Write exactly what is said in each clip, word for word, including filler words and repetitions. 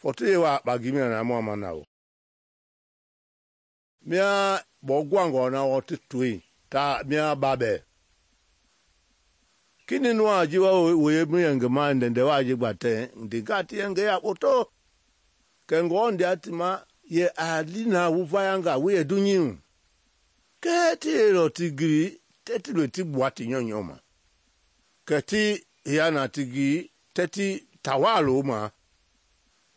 Forty wa bagimia na mo manao. Mia bo gwango na wo tui ta mia babe. Kini nwa jiwa we mi ngema ndende wa jigbate ndigati nge ya oto. Kengo ndi atima ye alina uvayanga we edunyin. Keti ro tigiri teti lo ti buati nyonyoma. Keti yana tigi teti tawalo ma.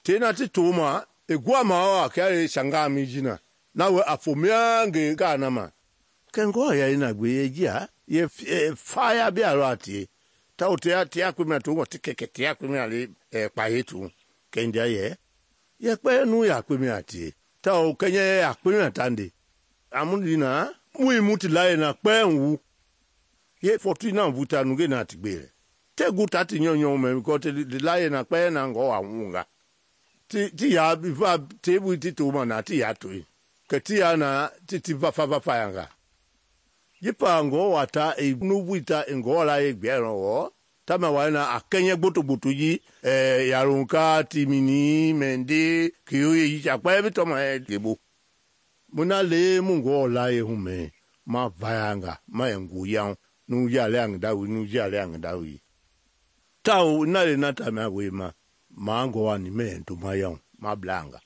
Tena ti toma egwa mawa kare shanga mijina. Nawe afomia nge kana ma. Kengo ya ina gwe yejia ye fire bi arati. Ta otea tia kwimia tu ngo tikeke tia kwimia li e pa yetu. Kendia ye. Ye kwe nu ya kwimia ti. Ta o kenye ya kwimia tandi. Amundina mui muti lae na kwe nwu. Ye forty na vuta nuge na tigbele. Te guta ti nyonyo me ko te lae na kwe na ngo wa munga. Ti ti ya biva tebu ti toma na ti ya tu. Ke ti ya na ti ti va fa va fa yanga. Yipa ngo wata e nubuita ngo la e gbero wo. Tama wana akenye gboto gboto yi eh yarunka timini mende kiyoye yi chakwa bi to ma gebo. Muna le mungo la e hume ma vayanga ma engu yang nu ya le ang dawi nu ya le ang dawi. Tau na le nata ma we ma ma ngo ani me to ma yang ma blanga.